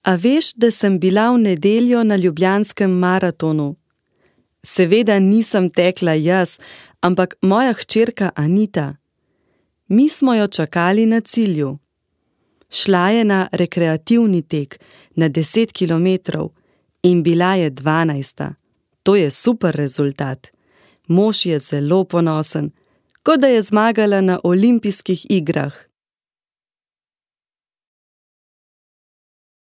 A veš, da sem bila v nedeljo na ljubljanskem maratonu? Seveda nisem tekla jaz, ampak moja hčerka Anita. Mi smo jo čakali na cilju. Šla je na rekreativni tek na 10 kilometrov in bila je 12. To je super rezultat. Mož je zelo ponosen, kot da je zmagala na olimpijskih igrah.